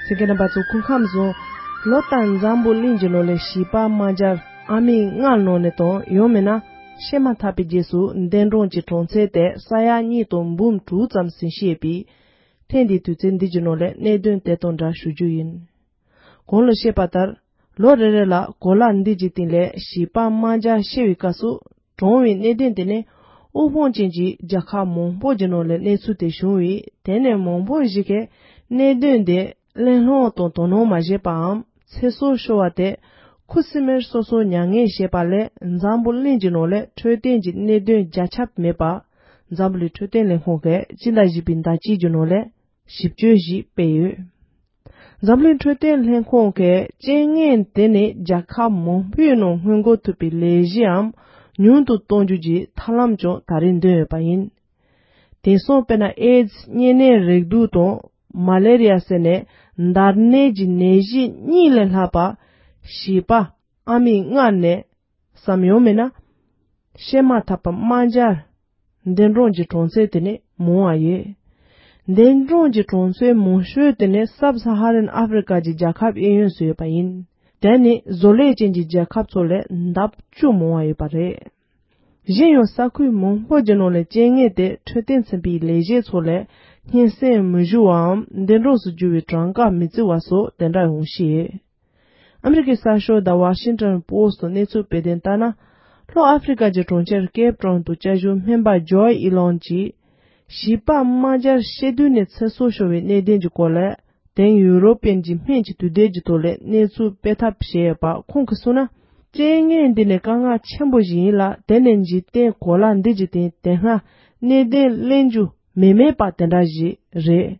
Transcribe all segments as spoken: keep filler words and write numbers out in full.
གསན་མཁན་རྣམ་པ་ཚོ་སྐུ་ཁམས་བཟང་། ལོ་ལྟར་འཛམ་བུ་གླིང་གི་ནང་ལ་བྱིས་པ་དམར་འབྱར་ཨ་མི་ལྔ་ནང་ནས་དང་ཡང་མིན་ན་བཤད་མ་ཐག་པའི་རྗེས་སུ་འདས་གྲོངས་ཀྱི་གྲངས་ཚད་དེ་ས་ཡ་གཉིས་དང་འབུམ་དྲུག་ཙམ་ཟིན་བཤད་པའི་ཐེངས་འདིའི་དུས་ཚོད་འདི་གི་ནང་ལ་གནད་དོན་དེ་དང་འདྲ་ཞུ་རྒྱུ་ཡིན། གོང་ལ་བཤད་པ་ལྟར། ལོ་རེ་རེ་ལ་གོ་ལ་འདི་གི་སྟེང་ལ་བྱིས་པ་དམར་འབྱར་བཤད་པའི་སྐབས་སུ། གྲོངས་པའི་གནད་དོན་དེ་ནི་དབུལ་ཕོངས་ཅན་གྱི་རྒྱལ་ཁབ་མང་པོ་གྱི་ནང་ལ་གནས་ཚུལ་དེ་བྱུང་བས། དེ་ནས་མང་པོ་ཞིག་གིས་གནད་དོན་དེ་གླེང་སློང་དང་དོ་སྣང་མ་བྱས་པའམ་ཚེ་སྲོག་ཤོར་བ་དེ་ཁུ་སིམ་མེར་སོ་སོ་མྱ་ངན་བྱས་པ་ལས། འཛམ་བུ་གླིང་གི་ནང་ལ་འཕྲོད་བསྟེན་གྱི་གནད་དོན་རྒྱ་ཁྱབ་མེད་པ། འཛམ་བུ་གླིང་འཕྲོད་བསྟེན་ལས་ཁུངས་ཀྱིས་སྤྱི་ཟླ་བཞི་པའི་ཟླ་དཀྱིལ་གྱི་ནང་ལ་ཞིབ་དཔྱོད་ཞིག་སྤེལ་ཡོད། འཛམ་གླིང་འཕྲོད་བསྟེན་ལྷན་ཁང་གིས་རྐྱེན་ངན་དེ་ནི་རྒྱལ་ཁབ་མང་པོའི་ནང་སྔོན་འགོག་ཐུབ་པའི་ལས་གཞིའམ་ཉུང་དུ་གཏོང་རྒྱུ་གྱི་ཐབས་ལམ་ཀྱང་ད་རེས་འདོན་ཡོད་པ་ཡིན། དེང་སང་དཔེར་ན་ཨེ་ཛི་གཉན་ནད་རེག་དུག་དང་མ་ལེ་རི་ཡ་ཟེར་ནས་འདར་ནད་ཀྱི་ནད་གཞི་གཉིས་ལས་ལྷག་པ་བྱིས་པ་ཨ་མི་ལྔ་ནས་སམ་ཡང་མིན་ན་བཤད་མ་ཐག་པ་དམར་འབྱར་འདས་གྲོངས་ཀྱི་གྲངས་ཚད་དེ་ནི་མང་བ་ཡོད། འདས་གྲོངས་ཀྱི་གྲངས་ཚད་མང་ཤོས་དེ་ནི་སབ་ས་ཧ་རན་ཨ་ཧྥེ་རི་ཀ་གྱི་རྒྱལ་ཁབ་གཡས་གཡོན་སུ་ཡོད་པ་ཡིན། དེ་ནི་བཟོ་ལས་ཅན་གྱི་རྒྱལ་ཁབ་ཚོ་ལས་ལྡབ་བཅུ་མང་བ་ཡོད་པ་རེད། གཞན་ཡང་ས་ཁུལ་མང་པོ་གྱི་ནང་ལ་རྐྱེན་ངན་དེ་འཕྲོད་བསྟེན་ཚན་པའི་ལས་བྱེད་ཚོ་ལ་སྙན་སེང་མི་ཞུ་བའམ་འདས་གྲོངས་སུ་གྱུར་བའི་གྲངས་ཀ་མི་བརྩི་བ་སོགས་དེ་འདྲ་ཡོང་སྲིད། ཨ་མི་རི་ཀའི་གསར་ཤོག་The Washington Post་གནས་ཚུལ་སྤེལ་དོན་ལྟར་ན། ལྷོ་ཨ་ཧྥེ་རི་ཀ་གི་གྲོང་ཁྱེར་ཀེབ་ཊའུན་དུ་སྐྱབས་བཅོལ་སྨན་པ་ཇོའི་ཨི་ལོན་གྱིས། བྱིས་པ་དམར་འབྱར་བཤད་དུས་ནས་ཚེ་སྲོག་ཤོར་བའི་གནད་དོན་གྱི་སྐོར་ལ། དེང་ཡུ་རོ་པན་གྱི་སྨན་གྱི་དུས་དེབ་ཀྱི་ཐོག་ལ་གནས་ཚུལ་སྤེལ་ཐབས་བྱས་ཡོད་པ་ཁོང་གིས་གསུངས་ན། རྐྱེན་ངན་འདི་ནི་དཀའ་ངལ་ཆེན་པོ་ཞིག་ཡིན་ལ། དེ་ནི་འཇིག་རྟེན་གོ་ལ་འདི་གི་སྟེང་དེ་སྔ་གནད་དོན་གླེང་རྒྱུ་མེད་མེད་པ་དེ་འདྲ་ཞིག་རེད།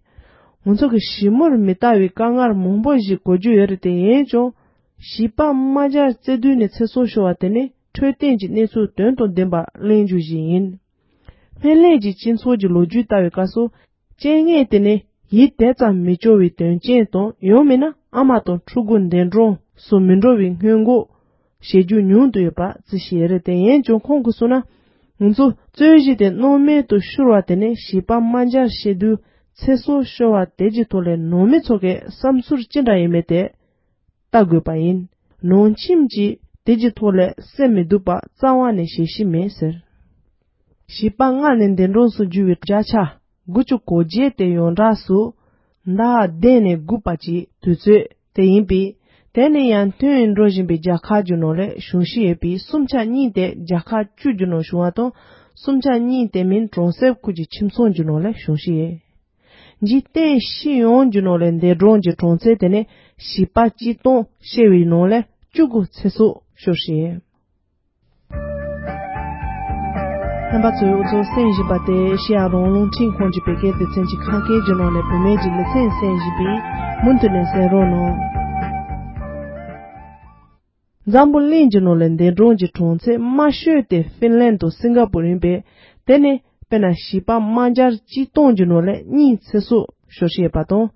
ང་ཚོ་གི་ཞི་མོར་མི་ལྟ་བའི་དཀའ་ངལ་མང་པོ་ཞིག་གོ་རྒྱུ་ཡོད་རེད། དེ་ཡིན་ཀྱང་། བྱིས་པ་དམར་འབྱར་བརྩེ་དུས་ནས་ཚེ་སྲོག་ཤོར་བ་དེ་ནི་འཕྲོད་བསྟེན་གྱི་གནས་ཚུལ་དོན་དང་ལྡན་པ་གླེང་རྒྱུ་ཞིག་ཡིན། སྨན་ལས་ཀྱི་སྤྱི་ཚོགས་ཀྱི་ལོ་རྒྱུས་ལྟ་བའི་སྐབས་སུ། རྐྱེན་ངན་དེ་ནི་ཡིད་དེ་ཙམ་མི་སྐྱོ་བའི་དོན་རྐྱེན་དང་ཡང་མིན་ན་ཨ་མ་དང་ཕྲུ་གུ་འདས་གྲོངས་སུ་མི་འགྲོ་བའི་སྔོན་འགོག་བྱེད་རྒྱུ་ཉུང་དུ་ཡོད་པ་བརྩི་ཞེས་རེད། དེ་ཡིན་ཀྱང་ཁོང་གིས་གསུངས་ན། ང་ཚོ་རྩོད་གཞི་དེ་སྣང་མེད་དུ་ཤོར་བ་དེ་ནི་བྱིས་པ་དམར་འབྱར་བཤད་དུས་ཚེ་སྲོག་ཤོར་བ་དེ་གྱི་ཐོག་ལས་ནང་མི་ཚོ་གི་བསམ་ཚུལ་ཅི་འདྲ་ཡིན་མིན་དེ་ལྟ་དགོས་པ་ཡིན། ནང་ཁྱིམ་གྱིས་དེ་གྱི་ཐོག་ལས་སེམས་མི་སྡུག་པ་རྩ་བ་ནས་བྱེད་ཤེས་མེད་ཟེར། བྱིས་པ་ལྔ་ནས་འདས་གྲོངས་སུ་གྱུར་བའི་བརྒྱ་ཆ་དགུ་བཅུ་གོ་བརྒྱད་དེ་ཡོངས་གྲགས་སུ་ཟླ་བ་བདུན་ནས་དགུ་བར་གྱི་དུས་ཚོད་དེ་ཡིན་པས། དེ་ནི་ཡར་ཐོན་འགྲོ་བཞིན་པའི་རྒྱལ་ཁབ་ཀྱི་ནང་ལ་བྱུང་ཤེས་ཡོད་པས། སུམ་ཆ་གཉིས་དེ་རྒྱལ་ཁབ་བཅུ་གྱི་ནང་བྱུང་བ་དང་། སུམ་ཆ་གཉིས་དེ་མིན་གྲོང་གསེབ་ཁུལ་གྱི་ཁྱིམ་ཚང་གྱི་ནང་ལ་བྱུང་ཤེས་ཡོད། འཇིག་རྟེན་སྤྱི་ཡོངས་ཀྱི་ནང་ལ་འདས་གྲོངས་ཀྱི་གྲངས་ཚད་དེ་ནི་བྱིས་པ་གཅིག་སྟོང་བཤད་པའི་ནང་ལ་བཅུ་དགུ་ཚེ་སྲོག་ཤོར་ཞིང་། རྣམ་པ་ཚོས་འུ་ཚོ་གསན་བཞིན་པ་དེ་ཨེ་ཤེ་ཡ་རང་དབང་རླུང་འཕྲིན་ཁང་གི་བོད་སྐད་སྡེ་ཚན་གྱི་ཁམས་སྐད་ཀྱི་ནང་ནས་བུད་མེད་ཀྱི་ལེ་ཚན་གསན་བཞིན་པས་མུ་མཐུད་ནས་གསན་རོགས་གནང་། འཛམ་བུ་གླིང་གི་ནང་ལ་འདས་གྲོངས་ཀྱི་གྲངས་ཚད་དམའ་ཤོས་དེ་ཧྥིན་ལན་དང་སིང་ག་པུར་ཡིན་པས། དེ་ནི་དཔེར་ན་བྱིས་པ་དམར་འབྱར་གཅིག་སྟོང་གི་ནང་ལ་གཉིས་ཚེ་སྲོག་ཤོར་བཞིན་ཡོད་པ་དང་།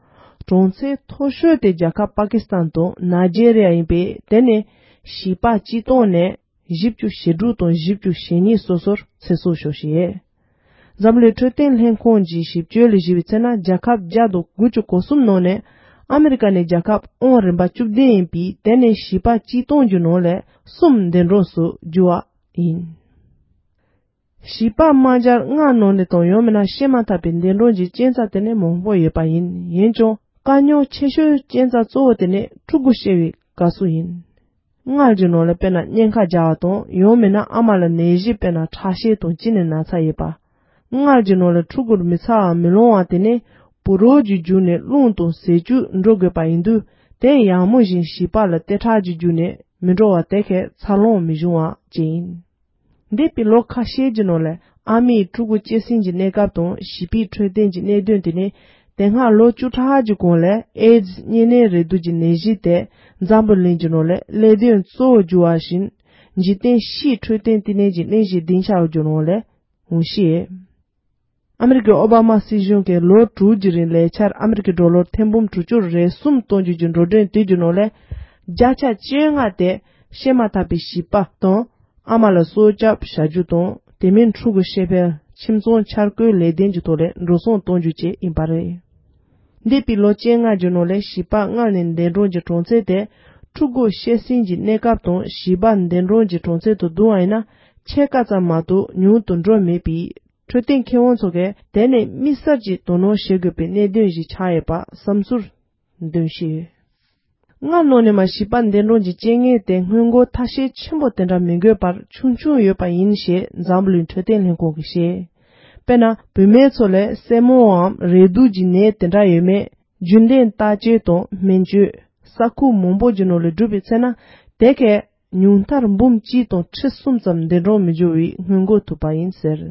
གྲངས་ཚད་མཐོ་ཤོས་དེ་རྒྱལ་ཁབ་པ་ཀི་སི་ཐན་དང་ནཱི་ཇེ་རི་ཡ་ཡིན་པས། དེ་ནི་བྱིས་པ་གཅིག་སྟོང་ནས་བཞི་བཅུ་ཞེ་དྲུག་དང་བཞི་བཅུ་ཞེ་གཉིས་སོ་སོར་ཚེ་སྲོག་ཤོར་བཞིན་ཡོད། འཛམ་གླིང་འཕྲོད་བསྟེན་ལྷན་ཁང་གིས་ཞིབ་དཔྱོད་ལ་གཞིགས་པའི་ཚེ་ན། རྒྱལ་ཁབ་བརྒྱ་དང་དགུ་བཅུ་གོ་གསུམ་ནང་ནས་ཨ་མི་རི་ཀ་ནི་རྒྱལ་ཁབ་ཨང་རིམ་པ་བཅུ་བདུན་ཡིན་པས། དེ་ནི་བྱིས་པ་གཅིག་སྟོང་གི་ནང་ལས་གསུམ་འདས་གྲོངས་སུ་གྱུར་བ་ཡིན། བྱིས་པ་དམར་འབྱར་ལྔ་ནང་ནས་དང་ཡང་མིན་ན་བཤད་མ་ཐག་པའི་འདས་གྲོངས་ཀྱི་རྐྱེན་རྩ་དེ་ནི་མང་པོ་ཡོད་པ་ཡིན། ཡིན་ཀྱང་དཀའ་རྙོག་ཆེ་ཤོས་རྐྱེན་རྩ་གཙོ་བོ་དེ་ནི་ཕྲུ་གུ་བཤད་པའི་དགའ་བསུ་ཡིན། མངལ་གྱི་ནང་ལ་དཔེར་ན་གཉན་ཁ་རྒྱག་པ་དང་ཡང་མིན་ན་ཨ་མ་ལ་ནད་གཞི་དཔེར་ན་ཁྲག་ཤེད་དང་གཅིན་སྙི་ན་ཚ་ཡོད་པ། མངལ་གྱི་ནང་ལ་ཕྲུ་གུར་མི་ཚ་བ་མི་ལོང་བ་དེ་ནི་ཕོ་རོག་གི་རྒྱུད་ནས་རླུང་དང་ཟས་བཅུད་འགྲོ་དགོས་པ་ཡིན་དུས། དེ་ཡང་མོ་བཞིན་བྱིས་པ་ལ་ལྟེ་ཁྲག་གི་རྒྱུད་ནས་མི་འགྲོ་བ་དེ་གས་འཚར་ལོངས་མི་འབྱུང་བ་བཅས་ཡིན། འདས་པའི་ལོ་ཁ་ཤས་ཀྱི་ནང་ལ་ཨ་མའི་ཕྲུ་གུ་སྐྱེ་སྲིང་གི་གནས་སྐབས་དང་བྱིས་པའི་འཕྲོད་བསྟེན་གྱི་གནད་དོན་དེ་ནི། དེ་སྔ་ལོ་བཅུ་ཕྲག་གི་གོང་ལ་ཨེ་ཛི་གཉན་ནད་རེག་དུག་གི་ནད་གཞི་དེ་འཛམ་བུ་གླིང་གི་ནང་ལ་གླེང་དོན་གཙོ་བོ་གྱུར་བ་བཞིན། འཇིག་རྟེན་སྤྱིའི་འཕྲོད་བསྟེན་བསྟི་གནས་ཀྱི་གླེང་གཞི་བདུན་ཆའི་གྱི་ནང་ལ་འོང་ཤེས། ཨ་མི་རི་ཀའི་ཨོ་བྷ་མ་སྲིད་གཞུང་གིས་ལོ་དྲུག་གི་རིང་ལས་འཆར་ཨ་མི་རི་ཀའི་ཌོ་ལར་ཐེར་འབུམ་དྲུག་ཅུ་རེ་གསུམ་གཏོང་རྒྱུ་གྱི་འགྲོ་གྲོན་དེ་གྱི་ནང་ལ་བརྒྱ་ཆ་བཅོ་ལྔ་དེ་བཤད་མ་ཐག་པའི་བྱིས་པ་དང་ཨ་མ་ལ་སྲོག་སྐྱོབ་བྱ་རྒྱུ་དང་། དེ་མིན་ཕྲུ་གུ་བཤད་པའི་ཁྱིམ་ཚང་འཆར་འགོད་ལས་དོན་གྱི་ཐོག་ལ་འགྲོ་སོང་གཏོང་རྒྱུ་བཅས་ཡིན་པ་རེད། འདས་པའི་ལོ་བཅོ་ལྔ་གི་ནང་ལ་བྱིས་པ་མངལ་ནས་འདས་གྲོངས་ཀྱི་གྲངས་ཚད་དེ་ཕྲུ་གུ་བཤད་སྲིང་གི་གནས་སྐབས་དང་བྱིས་པ་འདས་གྲོངས་ཀྱི་གྲངས་ཚད་དུ་བསྡུར་བ་ཡིན་ན་ཕྱེད་ཀ་ཙམ་མ་གཏོགས་ཉུང་དུ་འགྲོ་མེད་པས། འཕྲོད་བསྟེན་མཁས་དབང་ཚོ་གིས་དེ་ནི་དམིགས་བསལ་གྱིས་དོ་སྣང་བྱེད་དགོས་པའི་གནད་དོན་ཞིག་ཆགས་ཡོད་པ་བསམ་ཚུལ་འདོན་བཞིན་ཡོད། མངལ་ནང་ནས་མ་བྱིས་པ་འདས་གྲོངས་ཀྱི་རྐྱེན་ངན་དེ་སྔོན་འགོག་ཐབས་ཤེས་ཆེན་པོ་དེ་འདྲ་མི་དགོས་པར་ཆུང་ཆུང་ཡོད་པ་ཡིན་ཞེས་འཛམ་བུ་གླིང་འཕྲོད་བསྟེན་ལྷན་ཁང་གིས་བཤད། དཔེར་ན་བུད་མེད་ཚོ་ལ་སྲན་མའམ་རེག་དུག་གི་ནད་དེ་འདྲ་ཡོད་མེད་རྒྱུན་ལྡན་བརྟག་དཔྱད་དང་སྨན་བཅོས་ས་ཁུལ་མང་པོ་གྱི་ནང་ལ་བསྒྲུབས་པའི་ཚེ་ན་དེ་གས་ཉུང་མཐར་འབུམ་གཅིག་དང་ཁྲི་གསུམ་ཙམ་འདས་གྲོངས་མི་འགྱུར་བའི་སྔོན་འགོག་ཐུབ་པ་ཡིན་ཟེར།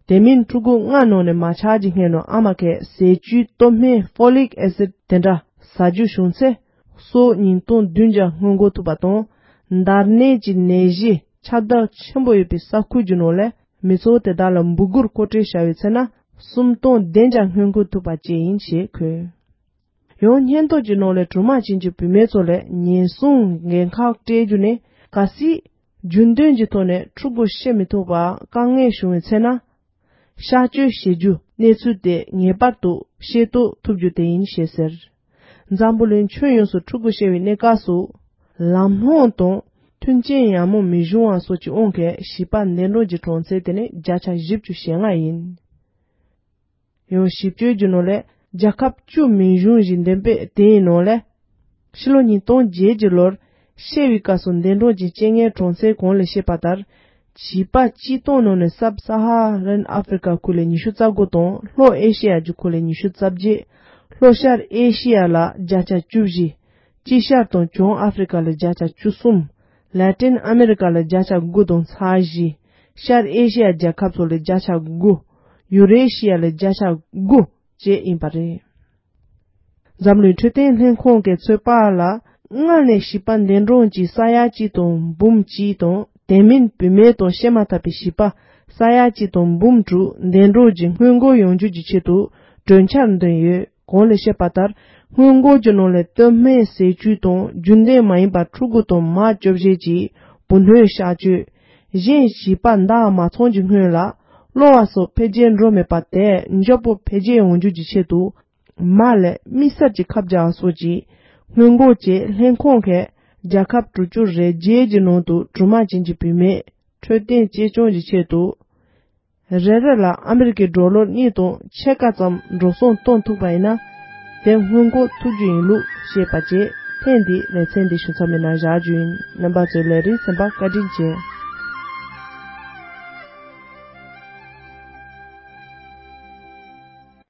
དེ་མིན་ཕྲུ་གུ་མངལ་ནང་ནས་མ་ཆགས་ཀྱི་སྔོན་ནས་ཨ་མ་གིས་ཟས་བཅུད་སྟོབས་སྨན་ཕོ་ལིག་ཨེ་སིད་དེ་འདྲ་ཟ་རྒྱུ་བྱུང་ཚེ་སོ་ཉིས་སྟོང་བདུན་བརྒྱ་སྔོན་འགོག་ཐུབ་པ་དང་། འདར་ནད་ཀྱི་ནད་གཞི་ཁྱབ་གདལ་ཆེན་པོ་ཡོད་པའི་ས་ཁུལ་གྱི་ནང་ལ་མི་ཚོགས་དེ་དག་ལ་འབུ་གུར་མཁོ་སྤྲོད་བྱ་བའི་ཚེ་ན་སུམ་སྟོང་བདུན་བརྒྱ་སྔོན་འགོག་ཐུབ་པ་བཅས་ཡིན་ཞེས་འཁོད། ཡང་སྙིང་སྟོབས་ཀྱི་ནང་ལས་གྲོང་མ་ཅན་གྱི་བུད་མེད་ཚོ་ལ་ཉེན་སྲུང་འགན་ཁག་སྤྲད་རྒྱུ་ནི་གལ་སྲིད་རྒྱུན་ལྡན་གྱི་ཐོག་ནས་ཕྲུ་གུ་བཤད་མི་ཐུབ་པ་དཀའ་ངལ་བྱུང་བའི་ཚེ་ན། གཤག་བཅོས་བྱེད་རྒྱུ་གནས་ཚུལ་དེ་ངེས་པར་དུ་ཤེས་རྟོགས་ཐུབ་རྒྱུ་དེ་ཡིན་ཞེས་ཟེར། འཛམ་བུ་གླིང་ཁྱོན་ཡོངས་སུ་ཕྲུ་གུ་བཤད་པའི་གནས་སྐབས་སུ། ལམ་ལྷོང་དང་མཐུན་རྐྱེན་ཡག་མོ་མི་འབྱུང་བ་སོགས་ཀྱི་དབང་གིས་བྱིས་པ་འདས་གྲོངས་ཀྱི་གྲངས་ཚད་དེ་ནི་བརྒྱ་ཆ་བཞི་བཅུ་ཞེ་ལྔ་ཡིན། ཡང་ཞིབ་དཔྱོད་ཀྱི་ནང་ལས་རྒྱལ་ཁབ་བཅུ་མིང་གཞུང་བཞིན་ལྡན་པའི་དེའི་ནང་ལས། ཕྱི་ལོ་ཉིས་སྟོང་བརྒྱད་ཀྱི་ལོར་བཤད་པའི་སྐབས་སུ་འདས་གྲོངས་ཀྱི་རྐྱེན་ངན་གྲངས་ཚད་གོང་ལ་བཤད་པ་ལྟར། བྱིས་པ་སྤྱིར་བཏང་ནང་ནས་སབ་ས་ཧ་རན་ཨ་ཧྥེ་རི་ཀ་ཁུལ་ལ་ཉི་ཤུ་རྩ་དགུ་དང་ལྷོ་ཨེ་ཤེ་ཡ་གྱི་ཁུལ་ལ་ཉི་ཤུ་རྩ་བརྒྱད། ལྷོ་ཤར་ཨེ་ཤེ་ཡ་ལ་བརྒྱ་ཆ་བཅུ་བཞི། དཀྱིལ་ཤར་དང་བྱང་ཨ་ཧྥེ་རི་ཀ་ལ་བརྒྱ་ཆ་བཅུ་གསུམ། ལ་ཏིན་ཨ་མེ་རི་ཀ་ལ་བརྒྱ་ཆ་དགུ་དང་ཚེག་བཞི། ཤར་ཨེ་ཤེ་ཡ་རྒྱལ་ཁབ་ཚོ་ལ་བརྒྱ་ཆ་དགུ། ཡུ་རེ་ཤི་ཡ་ལ་བརྒྱ་ཆ་དགུ་བཅས་ཡིན་པ་རེད། འཛམ་གླིང་འཕྲོད་བསྟེན་ལྷན་ཁང་གིས་ཚོད་དཔག་ལ། མངལ་ནས་བྱིས་པ་འདས་གྲོངས་ཀྱི་ས་ཡ་གཅིག་དང་འབུམ་གཅིག་དང་དེ་མིན་བུད་མེད་དང་བཤད་མ་ཐག་པའི་བྱིས་པ་ས་ཡ་གཅིག་དང་འབུམ་དྲུག་འདས་གྲོངས་ཀྱི་སྔོན་འགོག་ཡོང་རྒྱུ་གྱི་ཆེད་དུ་གྲོས་འཆར་འདོན་ཡོད། གོང་ལ་བཤད་པ་ལྟར་སྔོན་འགོག་གི་ནང་ལས་སྟོབས་སྨན་ཟས་བཅུད་དང་རྒྱུན་ལྡན་མ་ཡིན་པ་ཕྲུ་གུ་དང་མ་བཅོ་བརྒྱད་ཀྱི་བུ་སྣོད་གཤག་བཅོས། གཞན་བྱིས་པ་འདས་མ་ཚང་གི་སྔོན་ལ་གློ་བ་སོགས་འཕེལ་རྒྱས་འགྲོ་མེད་པ་དེ་མགྱོགས་པོ་འཕེལ་རྒྱས་ཡོང་རྒྱུ་གྱི་ཆེད་དུ། མ་ལས་དམིགས་བསལ་གྱི་ཁབ་རྒྱག་སོགས་ཀྱི་སྔོན་འགོག་བཅས་ལྷན་ཁང་གིས་རྒྱལ་ཁབ་དྲུག་ཅུ་རེ་བརྒྱད་ཀྱི་ནང་དུ་གྲོང་མ་ཅན་གྱི་བུད་མེད་འཕྲོད་བསྟེན་གཅེས་སྐྱོང་གི་ཆེད་དུ། རེ་རེ་ལ་ཨ་མི་རི་ཀའི་ཌོ་ལར་གཉིས་དང་ཕྱེད་ཀ་ཙམ་འགྲོ་སོང་གཏོང་ཐུབ་པ་ཡིན་ན། དེ་སྔོན་འགོག་ཐུབ་རྒྱུ་ཡིན་ལུགས་བཤད་པ་བཅས་ཐེངས་འདིའི་ལེ་ཚན་འདི་ཞུ་མཚམས་མེད་ན་བཞག་རྒྱུ་ཡིན། རྣམ་པ་ཚོས་ལས་རིམ་གསན་པར་བཀའ་དྲིན་ཆེ།